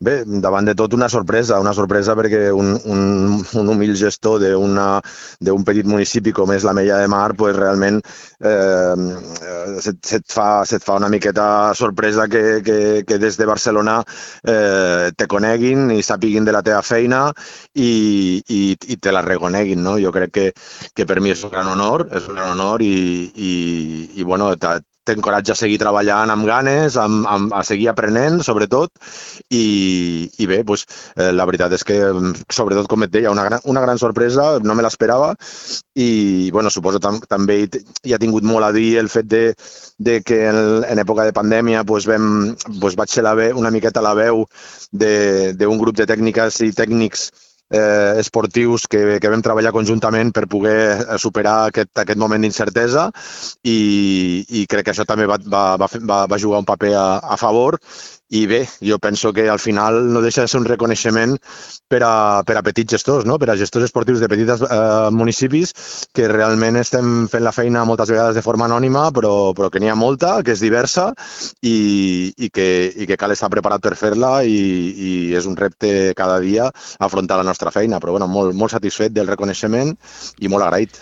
Bé, davant de tot una sorpresa perquè un humil gestor d'un petit municipi com és l'Ametlla de Mar, pues realment se't fa una miqueta sorpresa que des de Barcelona te coneguin i sàpiguin de la teva feina i te la reconeguin, no? Jo crec que per mi és un gran honor, i bueno, t'encoratja a seguir treballant amb ganes, a seguir aprenent, sobretot, i bé, doncs, la veritat és que, sobretot, com et deia, una gran sorpresa, no me l'esperava, i bueno, suposo també hi ha tingut molt a dir el fet de que en època de pandèmia vaig ser una miqueta la veu d'un grup de tècniques i tècnics esportius que vam treballar conjuntament per poder superar aquest moment d'incertesa i crec que això també va jugar un paper a favor. I bé, jo penso que al final no deixa de ser un reconeixement per a petits gestors, no? Per a gestors esportius de petits municipis que realment estem fent la feina moltes vegades de forma anònima, però que n'hi ha molta, que és diversa i que cal estar preparat per fer-la i és un repte cada dia afrontar la nostra feina. Però bueno, molt satisfet del reconeixement i molt agraït.